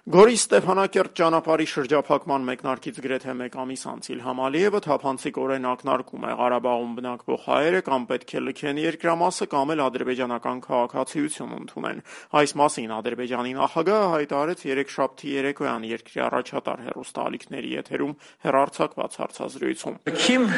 Գորի Ստեփանակերտ ճանապարհի շրջափակման մեկնարկից գրեթե մեկ ամիս անց Իլհամ Ալիևը թափանցիկորեն ակնարկում է Ղարաբաղում բնակվող հայերը կամ պետք է լքեն երկրամասը կամ էլ ադրբեջանական քաղաքացիություն ընդունեն։ Այս մասին Ադրբեջանի նախագահը haytarեց երեքշաբթի երեկոյան երկրի առաջատար հեռուստաալիքների եթերում հեռարձակված հարցազրույցում։ Kim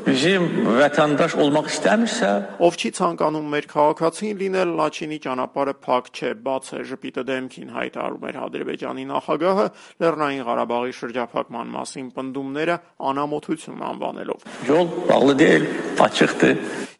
bizim vatandaş olmak istemirse, ով չի ցանկանում մեր քաղաքացին լինել, Լաչինի ճանապարհը փակ չէ, բաց է, ժպիտը դեմքին հայտարարում էր Ադրբեջանի նախագահը Լեռնային Ղարաբաղի շրջափակման մասին պնդումները անամոթություն անվանելով։ yol bağlı değil, açıktı.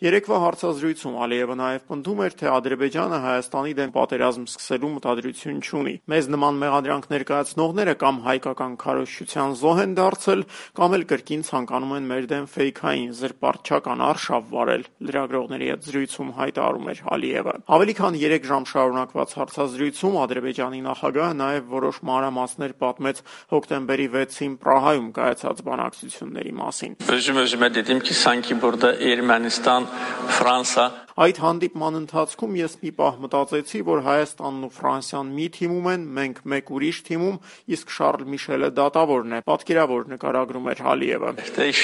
Երեկվա հարցազրույցում Ալիևը նաև պնդում էր, թե Ադրբեջանը Հայաստանի դեմ պատերազմ սկսելու մտադրություն չունի։ Մեզ նման մեղադրանք ներկայացնողները կամ հայկական քարոզչության զոհ են դարձել, կամ էլ կրկին ցանկանում են մեր դեմ ֆեյքային զրպարտչական արշավ վարել, լրագրողների հետ զրույցում հայտարարում էր Ալիևը։ Ավելի քան 3 ժամ շարունակված հարցազրույցում Ադրբեջանի նախագահը նաև որոշ մանրամասներ պատմեց հոկտեմբերի 6-ին Պրահայում կայացած բանակցությունների մասին։ Özüme dedim ki sanki burada Ermenistan, Fransa. Այդ հանդիպման ընթացքում ես մի պահ մտածեցի, որ Հայաստանն ու Ֆրանսիան մի թիմում են, մենք մեկ ուրիշ թիմում, իսկ Շարլ Միշելը դատավորն է, պատկերավոր նկարագրում էր Ալիևը։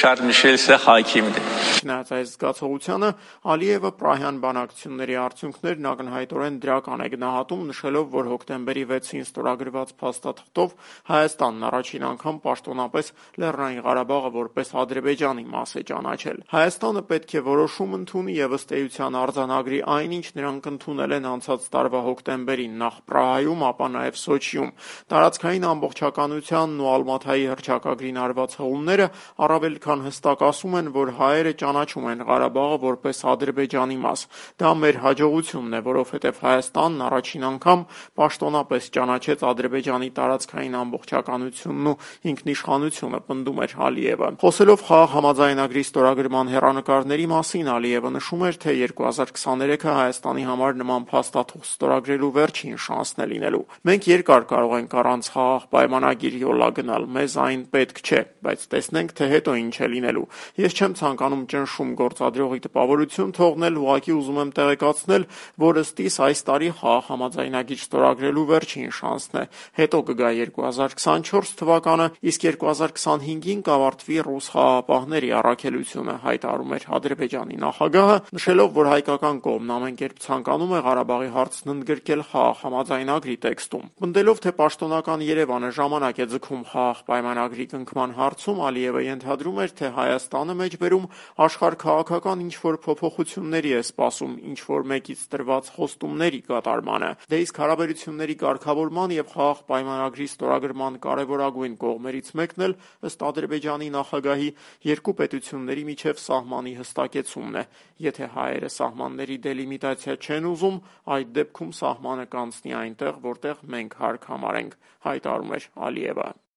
Şarl Michel ise hakimdi. Չնայած այս զգացողությանը, Ալիևը Պրահյան բանակցությունների արդյունքներն ակնհայտորեն դրական է գնահատում, նշելով, որ հոկտեմբերի 6-ին ստորագրված փաստաթղթով Հայաստանն առաջին անգամ պաշտոնապես Լեռնային Ղարաբաղը որպես Ադրբեջանի մաս է ճանաչել։ Հայաստանը պետք է որոշում ընդունի եւ ըստ էության արձանագրի այն, ինչ նրանք ընդունել են անցած տարվա հոկտեմբերին նախ Պրահայում, ապա նաև Սոչիում։ Տարածքային ամբողջականությանն ու Ալմաթայի հռչակագրին արված հղումները առավել քան հստակ ասում են, որ հայերը ճանաչում են Ղարաբաղը որպես Ադրբեջանի մաս։ Դա մեր հաջողությունն է, որովհետև Հայաստանն առաջին անգամ պաշտոնապես ճանաչեց Ադրբեջանի տարածքային ամբողջականությունն ու ինքնիշխանությունը, պնդում էր Ալիևը։ Խոսելով խաղաղ համաձայնագրի ստորագրման հեռանկարների մասին, Ալիևը նշում էր, թե 2023-ը Հայաստանի համար նման փաստաթուղթ ստորագրելու վերջին շանսն է լինելու։ Մենք երկար կարող ենք առանց խաղաղ պայմանագիր յոլա գնալ, մեզ այն պետք չէ, բայց տեսնենք, թե հետո ինչ է լինելու։ Ես չեմ ցանկանում ճնշում գործադրողի տպավորություն թողնել, ուղղակի ուզում եմ տեղեկացնել, որ ըստ իս այս տարի խաղաղ համաձայնագիր ստորագրելու վերջին շանսն է։ Հետո կգա 2024 թվականը, իսկ 2025-ին կավարտվի ռուս խաղաղապահների առաքելությունը, հայտարարում էր Ադրբեջանի նախագահը, նշելով, որ հայկական կողմն ամեն կերպ ցանկանում է Ղարաբաղի հարցն ընդգրկել խաղաղ համաձայնագրի տեքստում։ Պնդելով, թե պաշտոնական Երևանը ժամանակ է ձգում խաղաղ պայմանագրի կնքման հարցում, Ալիևը ենթադրում էր, թե Հայաստանը մեջբերում աշխարհաքաղաքական ինչ-որ փոփոխությունների է սպասում, ինչ-որ մեկից տրված խոստումների կատարմանը։ Դե իսկ հարաբերությունների կարգավորման եւ խաղաղ պայմանագրի ստորագրման կարևորագույն կողմերից մեկն էլ, ըստ Ադրբեջանի նախագահի, երկու պետությունների միջև սահմանի հստակեցումն է։ Եթե հայերը սահմանների դելիմիտացիա չեն ուզում, այդ դեպքում սահմանը կանցնի այնտեղ, որտեղ մենք հարկ համարենք, հայտարարում էր Ալիևը։